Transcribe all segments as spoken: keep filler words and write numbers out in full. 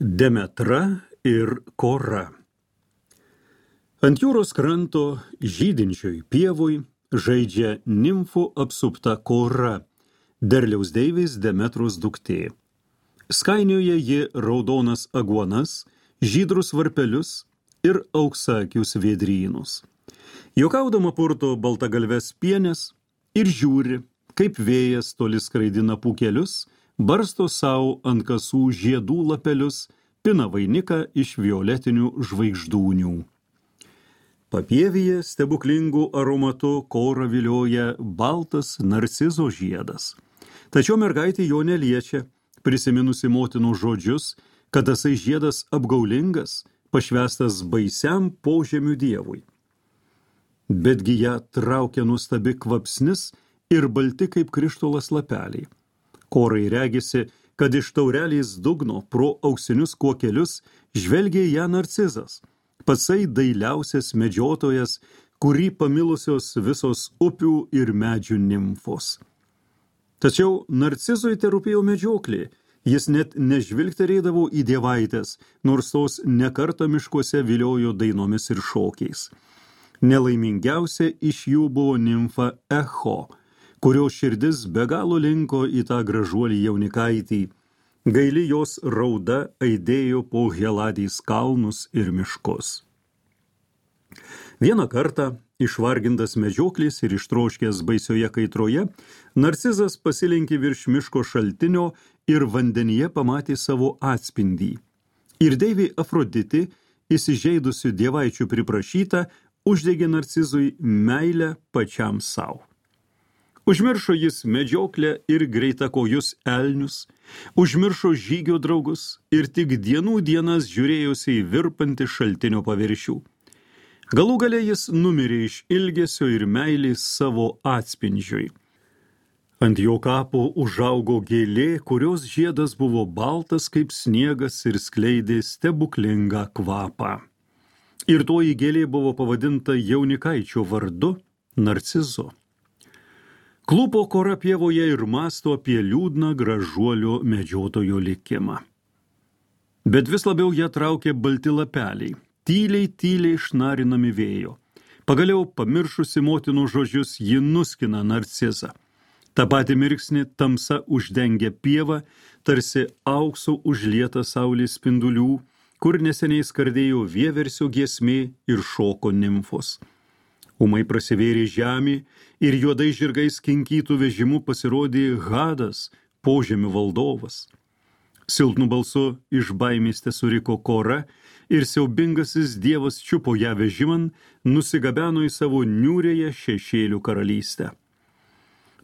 Demetra ir Kora. Ant jūros kranto žydinčioj pievoj žaidžia nimfų apsupta Kora, derliaus deivės Demetros duktė. Skainioja ji raudonas aguonas, žydrus varpelius ir auksakius vėdrynus. Juokaudama purto baltagalves pienės ir žiūri, kaip vėjas toli skraidina pūkelius, barsto savo ant kasų žiedų lapelius, pina vainiką iš violetinių žvaigždūnių. Papievyje stebuklingų aromatų Kora vilioja baltas narcizo žiedas. Tačiau mergaitė jo neliečia, prisiminusi motinų žodžius, kad tasai žiedas apgaulingas, pašvestas baisiam požemių dievui. Betgi ją traukia nuostabi kvapsnis ir balti kaip krištolas lapeliai. Korai regisi, kad iš taurelės dugno pro auksinius kuokelius žvelgia ją narcizas, patsai dailiausias medžiotojas, kurį pamilusios visos upių ir medžių nimfos. Tačiau narcizui terūpėjo medžioklė, jis net nežvilgterėdavo į dievaitės, nors tos nekartą miškuose viliojo dainomis ir šokiais. Nelaimingiausia iš jų buvo nimfa Echo, kurio širdis be galo linko į tą gražuolį jaunikaitį. Gaili jos rauda aidėjo po Heladės kalnus ir miškus. Vieną kartą, išvargintas medžioklės ir ištroškęs baisioje kaitroje, narcizas pasilenkė virš miško šaltinio ir vandenyje pamatė savo atspindį. Ir deivė Afroditė, įsižeidusių dievaičių priprašyta, uždegė narcizui meilę pačiam savo. Užmiršo jis medžioklę ir greitakojus elnius, užmiršo žygio draugus ir tik dienų dienas žiūrėjosi į virpantį šaltinio paviršių. Galų gale jis numirė iš ilgesio ir meilės savo atspindžiui. Ant jo kapo užaugo gėlė, kurios žiedas buvo baltas kaip sniegas ir skleidė stebuklingą kvapą. Ir toji gėlė buvo pavadinta jaunikaičio vardu Narcizu. Klūpo Kora pievoje ir mąsto apie liūdną gražuolio medžiotojo likimą. Bet vis labiau ją traukė balti lapeliai, tyliai, tyliai šnarinami vėjo. Pagaliau, pamiršusi motinų žodžius, ji nuskina narcizą. Ta pati mirksnį tamsa uždengia pievą, tarsi auksu užlieta saulės spindulių, kur neseniai skardėjo vieversio giesmė ir šoko nimfos. Ūmai prasivėrė žemė ir juodai žirgais kinkytų vežimu pasirodė Hadas, požemių valdovas. Silpnu balsu iš baimės tesuriko Kora ir siaubingasis dievas čiupo ją vežiman, nusigabeno į savo niūrėje šešėlių karalystę.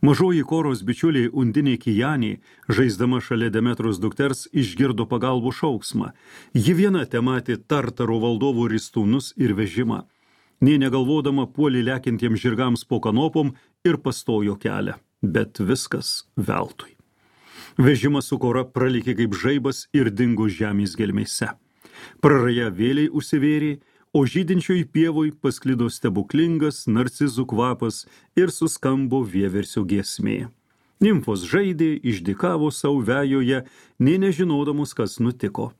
Mažoji Koros bičiulė Undinė Kijanė, žaisdama šalia Demetros dukters, išgirdo pagalbų šauksmą. Ji viena tematė Tartaro valdovų ristūnus ir vežimą. Nė negalvodama puolė lekintiems žirgams po kanopom ir pastojo kelią, bet viskas veltui. Vežimas su Kora pralikė kaip žaibas ir dingo žemės gelmėse. Praraja vėliai užsivėrė, o žydinčioj pievoj pasklido stebuklingas narcizų kvapas ir suskambo vieversio giesmė. Nimfos žaidė, išdykavo savo vejoje, nė nežinodamos, kas nutiko.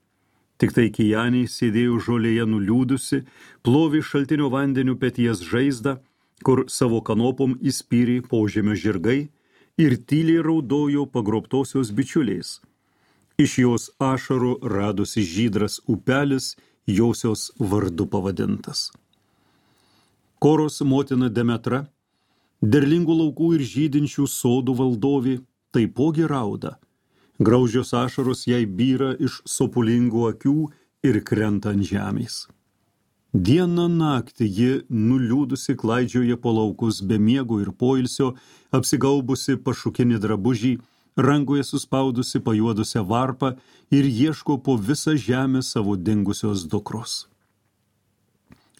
Tik tai Kijanė sėdėjo žolėje nuliūdusi, plovė šaltinio vandeniu peties žaizdą, kur savo kanopom įspyrė požemio žirgai ir tyliai raudojo pagrobtosios bičiuliais. Iš jos ašarų radosi žydras upelis, josios vardu pavadintas. Koros motina Demetra, derlingų laukų ir žydinčių sodų valdovė, taipogi rauda. Graužios ašaros jai byra iš sopulingų akių ir krenta ant žemės. Dieną naktį ji nuliūdusi klaidžioja po laukus be miego ir poilsio, apsigaubusi pašukinį drabužį, rankoje suspaudusi pajuodusią varpą ir ieško po visą žemę savo dingusios dukros.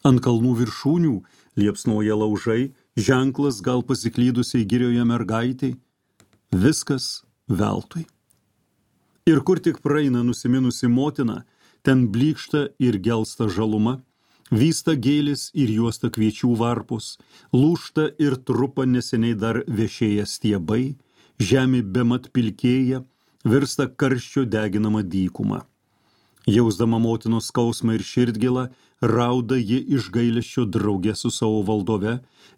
Ant kalnų viršūnių liepsnoja laužai, ženklas gal pasiklydusiai girioje mergaitai, viskas veltui. Ir kur tik praeina nusiminusi motina, ten blykšta ir gelsta žaluma, vysta gėlis ir juosta kviečių varpus, lūžta ir trupa neseniai dar viešėję stiebai, žemė bemat pilkėja, virsta karščio deginama dykuma. Jausdama motinos skausmą ir širdgėlą, rauda ji iš gailesčio drauge su savo valdove,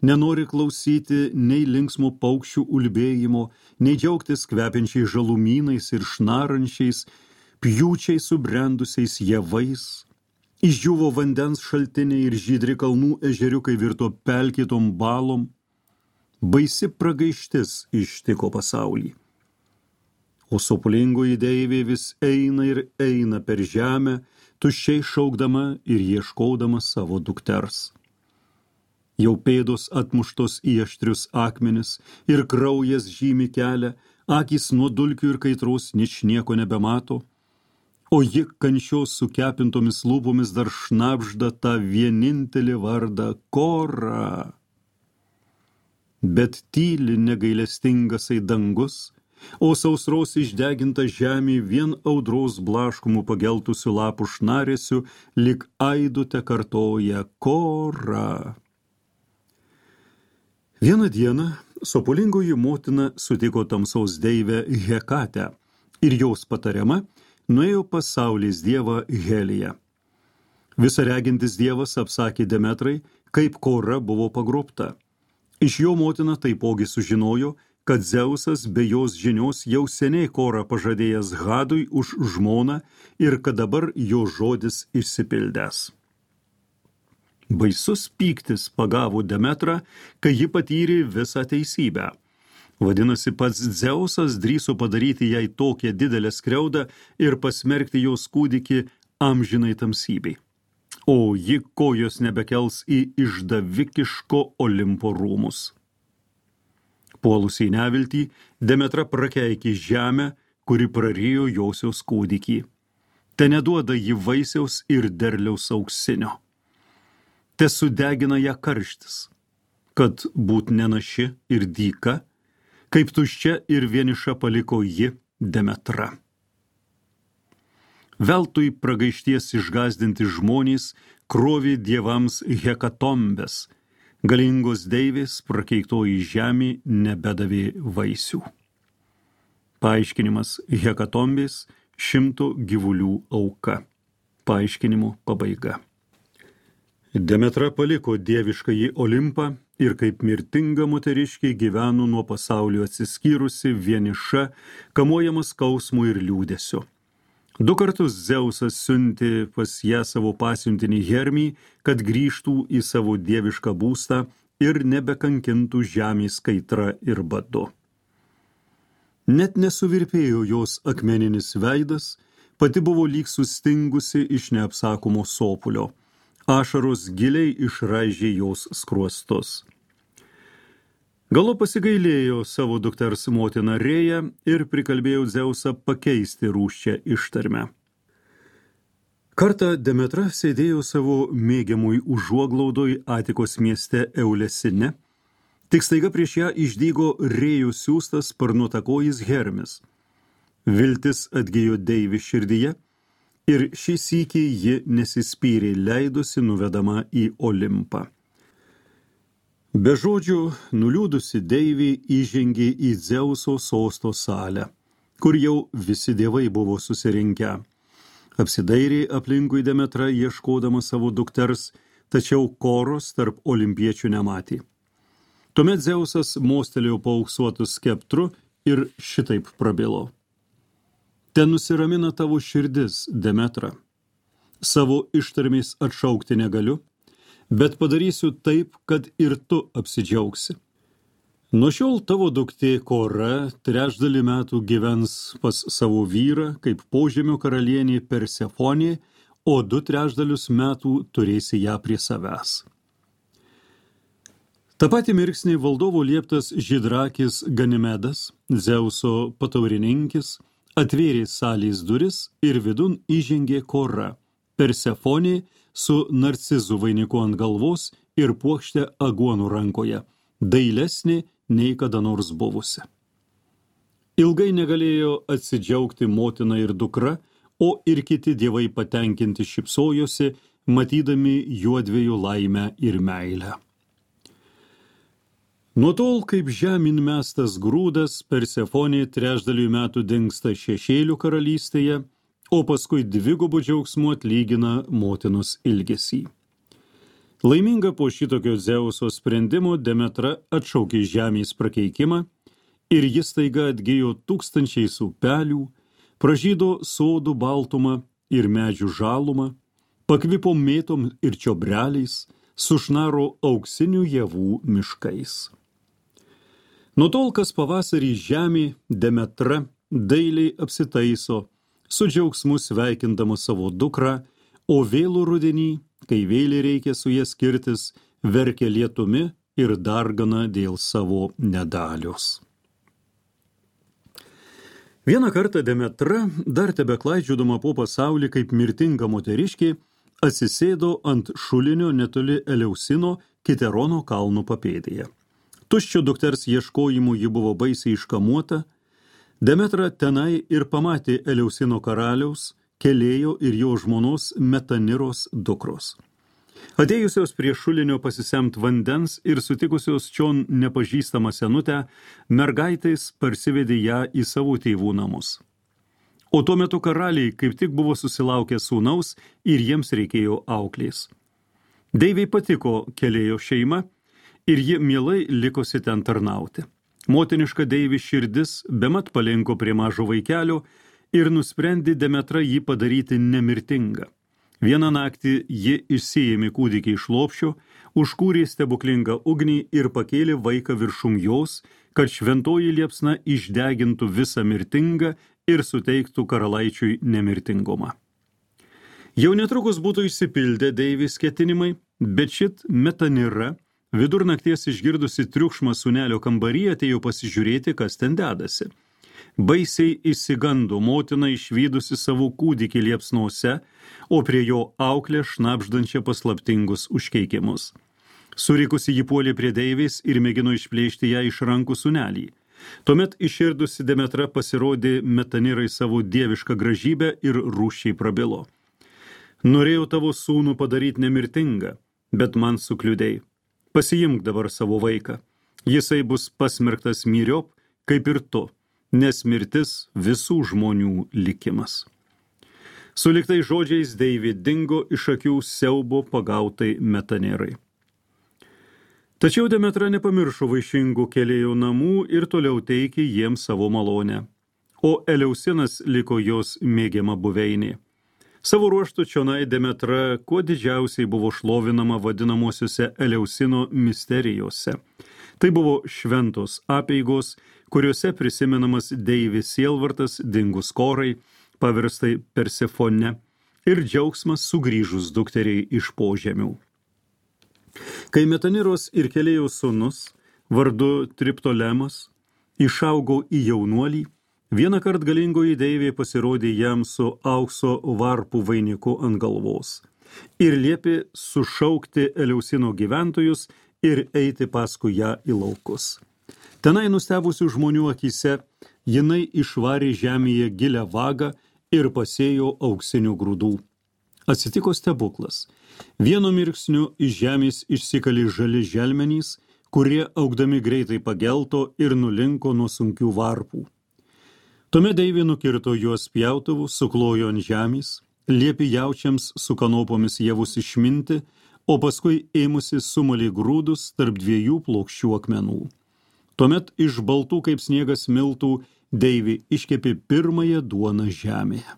nenori klausyti nei linksmų paukščių ulbėjimo, nei džiaugtis kvepiančiais žalumynais ir šnarančiais, pjūčiai subrendusiais javais. Išdžiuvo vandens šaltiniai ir žydri kalnų ežeriukai virto pelkytom balom. Baisi pragaištis ištiko pasaulį. O sopulingoji deivė vis eina ir eina per žemę, tuščiai šaukdama ir ieškodama savo dukters. Jau pėdos atmuštos į aštrius akmenis ir kraujas žymi kelią, akys nuo dulkių ir kaitros ničnieko nebemato, o ji kančios sukepintomis lūpomis dar šnabžda tą vienintelį vardą Kora. Bet tyli negailestingasai dangus, o sausros išdeginta žemė vien audros blaškomų pageltusių lapų šnarėsių lyg aidu te kartoja Kora. Vieną dieną sopulingoji motina sutiko tamsaus deivę Hekatę ir jos patariama nuėjo pas saulės dievą Heliją. Visaregintis dievas apsakė Demetrai, kaip Kora buvo pagrobta. Iš jo motina taipogi sužinojo, kad Dzeusas be jos žinios jau seniai Korą pažadėjęs Hadui už žmoną ir kad dabar jo žodis išsipildęs. Baisus pyktis pagavo Demetrą, kai ji patyrė visą teisybę. Vadinasi, pats Dzeusas drįso padaryti jai tokią didelę skriaudą ir pasmerkti jos kūdikį amžinai tamsybei. O ji kojos nebekels į išdavikiško Olimpo rūmus. Puolusi į neviltį, Demetra prakeikė žemę, kuri prarijo josios kūdikį. Te neduoda ji vaisiaus ir derliaus auksinio. Te sudegina ją karštis, kad būt nenaši ir dyka, kaip tuščia ir vieniša paliko ji Demetra. Veltui pragaišties išgazdinti žmonės krovė dievams hekatombes, galingos deivės prakeiktoji žemė nebedavė vaisių. Paaiškinimas hekatombės šimto gyvulių auka. Paaiškinimo pabaiga. Demetra paliko dieviškąjį Olimpą ir kaip mirtinga moteriškė gyveno nuo pasaulio atsiskyrusi, vieniša, kamuojama skausmų ir liūdesio. Du kartus Dzeusas siuntė pas ją savo pasiuntinį Hermį, kad grįžtų į savo dievišką būstą ir nebekankintų žemės kaitra ir badu. Net nesuvirpėjo jos akmeninis veidas, pati buvo lyg sustingusi iš neapsakomo sopulio. Ašaros giliai išraižė jos skruostus. Galo pasigailėjo savo dukters motiną Rėją ir prikalbėjo Dzeusą pakeisti rūsčią ištarmę. Kartą Demetra sėdėjo savo mėgiamui užuoglaudoj Atikos mieste Eulesine, tik staiga prieš ją išdygo Rėjų siųstas sparnuotakojis Hermis. Viltis atgijo deivį širdyje ir šį sykį ji nesispyrė, leidosi nuvedama į Olimpą. Be žodžių nuliūdusi deivė įžengė į Dzeuso sosto salę, kur jau visi dievai buvo susirinkę. Apsidairė aplinkui Demetra ieškodama savo dukters, tačiau Koros tarp olimpiečių nematė. Tuomet Dzeusas mostelėjo paauksuotų skeptru ir šitaip prabilo. Te nusiramina tavo širdis, Demetra. Savo ištarmės atšaukti negaliu, bet padarysiu taip, kad ir tu apsidžiaugsi. Nuo šiol tavo duktė Kora trečdalį metų gyvens pas savo vyrą, kaip požemio karalienė Persefonė, o du trečdalius metų turėsi ją prie savęs. Ta pati mirksnį valdovo lieptas žydrakis Ganimedas, Dzeuso pataurininkis, atvėrė salės duris ir vidun įžengė Kora, Persefonė, su narcizu vainiku ant galvos ir puokšte aguonų rankoje, dailesnė nei kada nors buvusi. Ilgai negalėjo atsidžiaugti motina ir dukra, o ir kiti dievai patenkinti šypsojosi, matydami juodviejų laimę ir meilę. Nuo tol, kaip žemyn mestas grūdas, Persefonė trečdalių metų dingsta šešėlių karalystėje, o paskui dvigubų džiaugsmų atlygina motinos ilgesį. Laiminga po šitokio Dzeuso sprendimo Demetra atšaukė žemės prakeikimą ir jis taiga atgijo tūkstančiais upelių, pražydo sodų baltumą ir medžių žalumą, pakvipo mėtom ir čiobreliais, sušnaro auksinių javų miškais. Nuo tol, kas pavasarį žemė Demetra dailiai apsitaiso, su džiaugsmu sveikindama savo dukrą, o vėlų rudenį, kai vėliai reikia su jie skirtis, verkia lietumi ir dargana dėl savo nedalios. Vieną kartą Demetra, dar tebeklaidžiodama po pasaulį kaip mirtinga moteriškė, atsisėdo ant šulinio netoli Eleusino Kiterono kalnų papėdėje. Tuščio dukters ieškojimų ji buvo baisiai iškamuota. Demetra tenai ir pamatė Eleusino karaliaus, Kelėjo ir jo žmonos Metaniros dukros. Atėjusios prie šulinio pasisemt vandens ir sutikusios čion nepažįstamą senutę, mergaitės parsivedė ją į savo tėvų namus. O tuo metu karaliai kaip tik buvo susilaukę sūnaus ir jiems reikėjo auklės. Deivei patiko Kelėjo šeima ir ji mielai likosi ten tarnauti. Motiniška Deivi širdis bemat palinko prie mažo vaikelio ir nusprendė Demetra jį padaryti nemirtingą. Vieną naktį ji išsiėmė kūdikį iš lopšio, užkūrė stebuklingą ugnį ir pakėlė vaiką viršum jos, kad šventoji liepsna išdegintų visą mirtingą ir suteiktų karalaičiui nemirtingumą. Jau netrukus būtų išsipildę Deivės ketinimai, bet šit Metanira, vidurnakties išgirdusi triukšmą sūnelio kambaryje, atėjo pasižiūrėti, kas ten dedasi. Baisiai išsigando motina išvydusi savo kūdikį liepsnose, o prie jo auklę šnabždančią paslaptingus užkeikimus. Surikusi jį puolė prie Deivės ir mėgino išplėšti ją iš rankų sūnelį. Tuomet iširdusi Demetra pasirodė Metanirai savo dievišką gražybę ir rūsčiai prabilo. Norėjau tavo sūnų padaryti nemirtingą, bet man sukliudei. Pasiimk dabar savo vaiką. Jisai bus pasmerktas myriop, kaip ir tu, nes mirtis visų žmonių likimas. Suliktai žodžiais Deivė dingo iš akių siaubo pagautai Metanirai. Tačiau Demetra nepamiršo vaišingų Kelėjo namų ir toliau teikė jiems savo malonę, o Eleusinas liko jos mėgiama buveinė. Savo ruožtu čionai Demetra kuo didžiausiai buvo šlovinama vadinamosiuose Eleusino misterijose. Tai buvo šventos apeigos, kuriuose prisimenamas Deivės sielvartas dingus Korai, paverstai Persefone, ir džiaugsmas sugrįžus dukteriai iš požemių. Kai Metaniros ir Kelėjo sūnus, vardu Triptolemas, išaugo į jaunuolį, vieną kart galingoji Deivė pasirodė jam su aukso varpų vainiku ant galvos ir liepė sušaukti Eleusino gyventojus ir eiti paskui ją į laukus. Tenai nustebusių žmonių akyse jinai išvarė žemėje gilią vagą ir pasėjo auksinių grūdų. Atsitiko stebuklas. Vienu mirksniu iš žemės išsikali žali želmenys, kurie augdami greitai pagelto ir nulinko nuo sunkių varpų. Tuomet Deivė nukirto juos pjautuvu, suklojo ant žemės, liepė jaučiams su kanopomis javus išminti, o paskui ėmusi sumalė grūdus tarp dviejų plokščių akmenų. Tuomet iš baltų kaip sniegas miltų Deivė iškepė pirmąją duoną žemėje.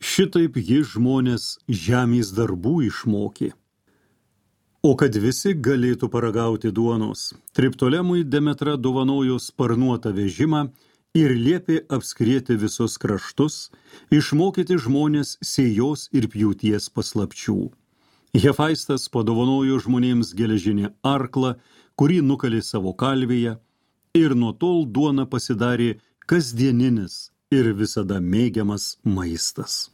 Šitaip ji žmonės žemės darbų išmokė. O kad visi galėtų paragauti duonos, Triptolemui Demetra dovanojo sparnuotą vežimą ir liepė apskrieti visus kraštus, išmokyti žmonės sėjos ir pjūties paslapčių. Hefaistas padovanojo žmonėms geležinį arklą, kurį nukalė savo kalvėje, ir nuo tol duona pasidarė kasdieninis ir visada mėgiamas maistas.